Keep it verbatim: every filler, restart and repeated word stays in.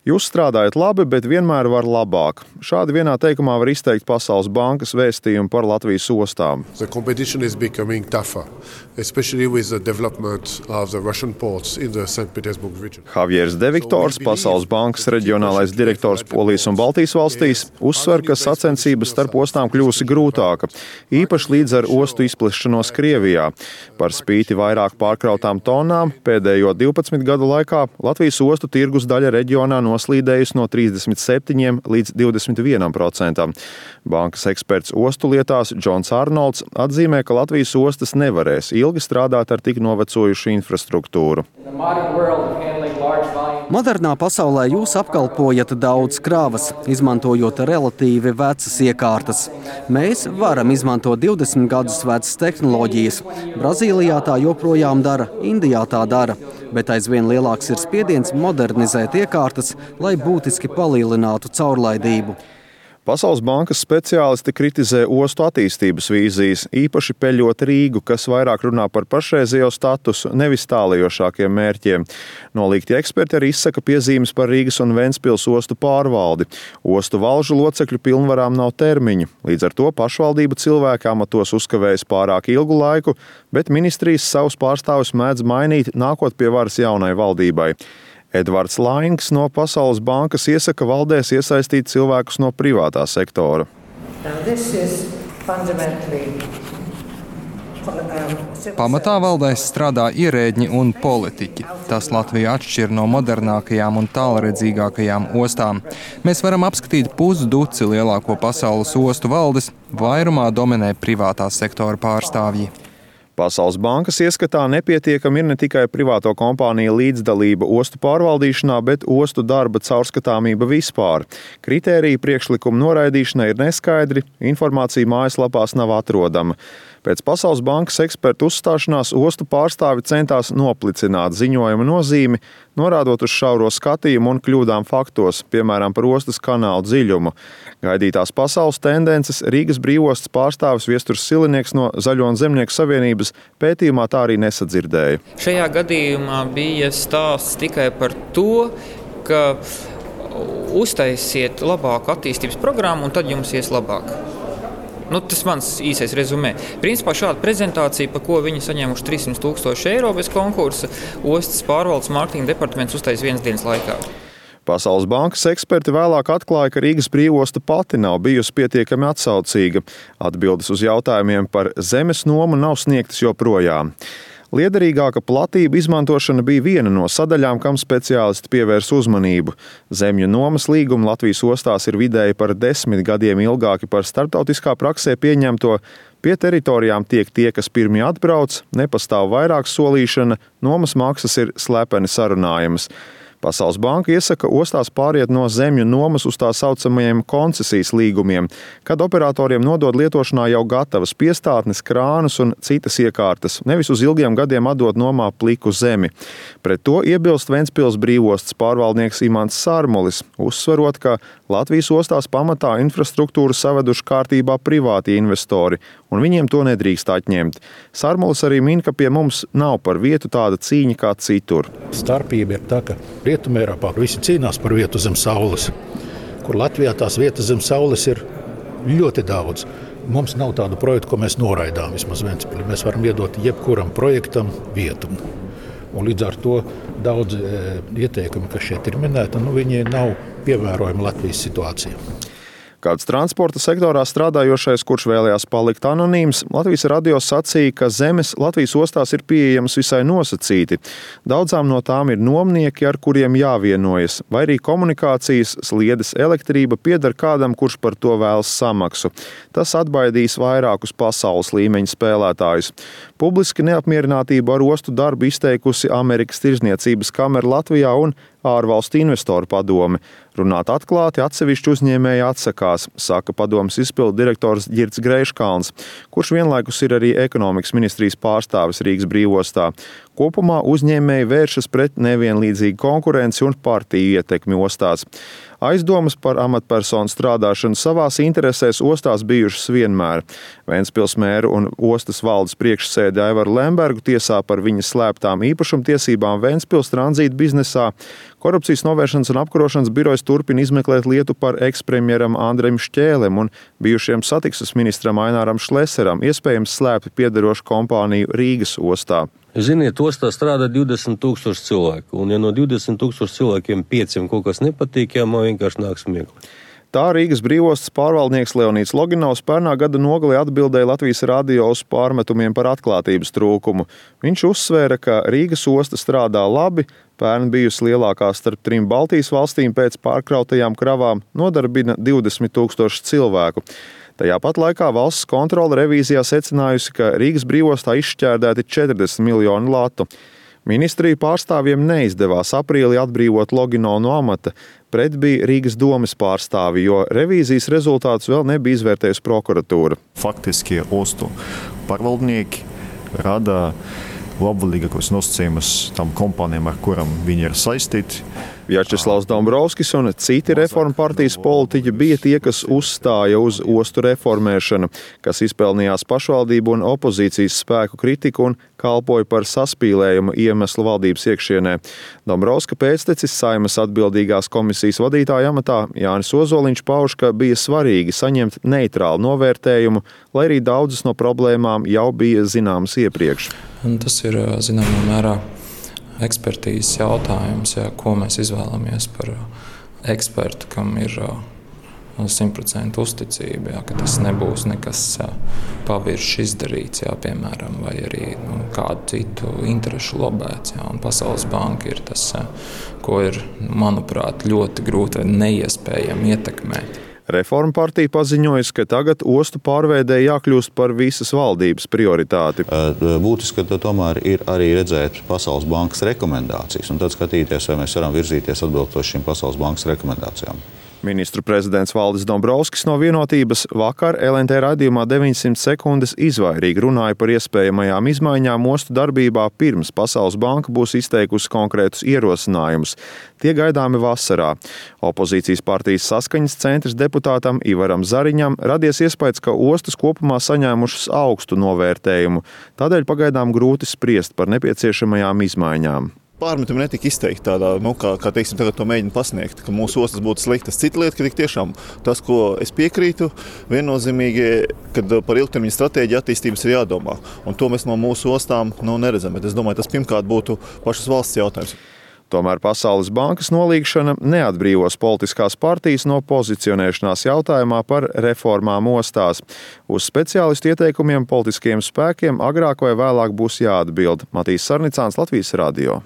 Jūs strādājat labi, bet vienmēr var labāk. Šādi vienā teikumā var izteikt Pasaules bankas vēstījumu par Latvijas ostām. The competition is becoming tougher, especially with the development of the Russian ports in the Saint Petersburg region. Javiers De Viktors, Pasaules bankas reģionālais direktors Polijas un Baltijas valstīs, uzsver, ka sacensības starp ostām kļūsi grūtāka, īpaši līdz ar ostu izplešanos Krievijā. Par spīti vairāk pārkrautām tonām pēdējo divpadsmit gadu laikā Latvijas ostu tirgus daļa reģionā noslīdējusi no trīsdesmit septiņiem līdz divdesmit vienam procentam. Bankas eksperts ostu lietās Džons Arnolds atzīmē, ka Latvijas ostas nevarēs ilgi strādāt ar tik novecojušu infrastruktūru. Modernā pasaulē jūs apkalpojat daudz krāvas, izmantojot relatīvi vecas iekārtas. Mēs varam izmantot divdesmit gadus vecas tehnoloģijas. Brazīlijā tā joprojām dara, Indijā tā dara, bet aizvien lielāks ir spiediens modernizēt iekārtas, lai būtiski palielinātu caurlaidību. Pasaules bankas speciālisti kritizē ostu attīstības vīzijas, īpaši peļot Rīgu, kas vairāk runā par pašreizējo statusu, nevis tālajošākiem mērķiem. Nolīgti eksperti arī izsaka piezīmes par Rīgas un Ventspils ostu pārvaldi. Ostu valžu locekļu pilnvarām nav termiņu, līdz ar to pašvaldību cilvēki amatos uzkavējas pārāk ilgu laiku, bet ministrijas savus pārstāvus mēdz mainīt, nākot pie varas jaunai valdībai. Edvards Laings no Pasaules bankas iesaka valdēs iesaistīt cilvēkus no privātā sektora. Pamatā valdēs strādā ierēdņi un politiķi. Tas Latviju atšķir no modernākajām un tālredzīgākajām ostām. Mēs varam apskatīt pusduci lielāko pasaules ostu valdes, vairumā dominē privātā sektora pārstāvji. Pasaules bankas ieskatā nepietiekami ir ne tikai privāto kompāniju līdzdalība ostu pārvaldīšanā, bet ostu darba caurskatāmība vispār. Kritēriji priekšlikumu noraidīšanai ir neskaidri, informācija mājaslapās nav atrodama. Pēc Pasaules bankas ekspertu uzstāšanās ostu pārstāvi centās noplicināt ziņojuma nozīmi, norādot uz šauro skatījumu un kļūdām faktos, piemēram, par ostas kanālu dziļumu. Gaidītās pasaules tendences Rīgas brīvostas pārstāvis Viesturs Silinieks no Zaļo un Zemnieku savienības pētījumā tā arī nesadzirdēja. Šajā gadījumā bija stāsts tikai par to, ka uztaisiet labāku attīstības programmu un tad jums ies labāk. Nu, tas mans īsais rezumē. Principā šāda prezentācija, par ko viņi saņēmuši trīssimt tūkstoši eiro bez konkursa, ostas pārvaldes mārketinga departaments uztais vienas dienas laikā. Pasaules bankas eksperti vēlāk atklāja, ka Rīgas brīvosta pati nav bijusi pietiekami atsaucīga. Atbildes uz jautājumiem par zemes nomu nav sniegtas joprojām. Liederīgāka platība izmantošana bija viena no sadaļām, kam speciālisti pievērs uzmanību. Zemju nomas līgumi Latvijas ostās ir vidēji par desmit gadiem ilgāki par starptautiskā praksē pieņemto. Pie teritorijām tiek tie, kas pirmie atbrauc, nepastāv vairāk solīšana, nomas maksas ir slepeni sarunājamas. Pasaules banka iesaka ostās pāriet no zemju nomas uz tā saucamajiem koncesijas līgumiem, kad operatoriem nodod lietošanā jau gatavas piestātnes, krānus un citas iekārtas, nevis uz ilgiem gadiem atdot nomā pliku zemi. Pret to iebilst Ventspils brīvostas pārvaldnieks Imants Sarmulis, uzsverot, ka Latvijas ostās pamatā infrastruktūru saveduši kārtībā privāti investori, un viņiem to nedrīkst atņemt. Sarmulis arī min, ka pie mums nav par vietu tāda cīņa kā citur. Starpība ir tā, ka Rietumē Eiropā visi cīnās par vietu zem saules, kur Latvijā tās vietas zem saules ir ļoti daudz. Mums nav tādu projektu, ko mēs noraidām vismaz Ventspilī. Mēs varam iedot jebkuram projektam vietu. Un līdz ar to daudz e, ieteikumi, kas šeit ir minēti, nu, viņi nav pievērojami Latvijas situācijā. Kāds transporta sektorā strādājošais, kurš vēlējās palikt anonīms, Latvijas radio sacīja, ka zemes Latvijas ostās ir pieejamas visai nosacīti. Daudzām no tām ir nomnieki, ar kuriem jāvienojas, vai arī komunikācijas, sliedes, elektrība pieder kādam, kurš par to vēlas samaksu. Tas atbaidīs vairākus pasaules līmeņa spēlētājus. Publiski neapmierinātību ar ostu darbu izteikusi Amerikas Tirdzniecības kamera Latvijā un ārvalstu investoru padome. Runāt atklāti atsevišķi uzņēmēji atsakās, saka padomes izpildu direktors Ģirds Greiškalns, kurš vienlaikus ir arī ekonomikas ministrijas pārstāvis Rīgas brīvostā. Kopumā uzņēmēji vēršas pret nevienlīdzīgu konkurenci un partiju ietekmi ostās. Aizdomas par amatpersonu strādāšanu savās interesēs ostās bijušas vienmēr. Ventspils mēru un ostas valdes priekšsēdi Aivaru Lembergu tiesā par viņas slēptām īpašumtiesībām Ventspils tranzīta biznesā. Korupcijas novēršanas un apkarošanas birojas turpina izmeklēt lietu par ekspremjeram Andrejam Šķēlem un bijušajam satiksmes ministram Aināram Šleseram, iespējams slēpti piederošu kompāniju Rīgas ostā. Ziniet, ostā strādā divdesmit tūkstoši cilvēku, un ja no divdesmit tūkstoši cilvēkiem pieciem kaut kas nepatīk, jā, man vienkārši nāk smieklīgi. Tā Rīgas brīvostas pārvaldnieks Leonīds Loginovs pērnā gada nogalī atbildēja Latvijas radio uz pārmetumiem par atklātības trūkumu. Viņš uzsvēra, ka Rīgas osta strādā labi, pērn bijusi lielākā starp trim Baltijas valstīm pēc pārkrautajām kravām, nodarbina divdesmit tūkstoši cilvēku. Tajā pat laikā valsts kontrole revīzijā secinājusi, ka Rīgas brīvostā izšķērdēti četrdesmit miljoni latu. Ministriju pārstāvjiem neizdevās aprīlī atbrīvot Loginovu no amata, pret bija Rīgas domes pārstāvi, jo revīzijas rezultātus vēl nebija izvērtējusi prokuratūra. Faktiski ostu pārvaldnieki rada labvēlīgākos nosacījumus tam kompānijām, ar kurām viņi ir saistīti. Vjačeslavs Dombrovskis un citi reformu partijas politiķi bija tie, kas uzstāja uz ostu reformēšanu, kas izpelnījās pašvaldību un opozīcijas spēku kritiku un kalpoja par saspīlējumu iemeslu valdības iekšienē. Dombrovska pēctecis Saeimas atbildīgās komisijas vadītāja amatā Jānis Ozoliņš pauž, ka bija svarīgi saņemt neitrālu novērtējumu, lai arī daudzas no problēmām jau bija zināmas iepriekš. Un tas ir zināmā mērā ekspertīzes jautājums, jā, ko mēs izvēlamies par ekspertu, kam ir simt procenti uzticība, jā, ka tas nebūs nekas pavirši izdarīts, jā, piemēram, vai arī nu, kādu citu interešu lobēts. Jā, un Pasaules banka ir tas, ko ir, manuprāt, ļoti grūti vai neiespējami ietekmēt. Reforma partija paziņojas, ka tagad ostu pārveidē jākļūst par visas valdības prioritāti. Būtiski, ka tomēr ir arī redzēt Pasaules bankas rekomendācijas un tad skatīties, vai mēs varam virzīties atbilstoši šīm Pasaules bankas rekomendācijām. Ministru prezidents Valdis Dombrovskis no Vienotības vakar L N T raidījumā deviņsimt sekundes izvairīgi runāja par iespējamajām izmaiņām ostu darbībā pirms Pasaules banka būs izteikusi konkrētus ierosinājumus. Tie gaidāmi vasarā. Opozīcijas partijas Saskaņas centrs deputātam Ivaram Zariņam radies iespējas, ka ostas kopumā saņēmušas augstu novērtējumu. Tādēļ pagaidām grūti spriest par nepieciešamajām izmaiņām. Pārmetumi netika izteikti tādā, nu, kā, kā teiksim, tagad to mēģina pasniegt, ka mūsu ostas būtu sliktas. Cita lieta, ka tik tiešām tas, ko es piekrītu, viennozīmīgi, kad par ilgtermiņa stratēģiju attīstības ir jādomā. Un to mēs no mūsu ostām nu, neredzam, bet es domāju, tas pirmkārt būtu pašas valsts jautājums. Tomēr Pasaules bankas nolīgšana neatbrīvos politiskās partijas no pozicionēšanās jautājumā par reformām ostās. Uz speciālistu ieteikumiem politiskajiem spēkiem agrāk vai vēlāk būs jāatbild. Matīs Sarnicāns, Latvijas radio.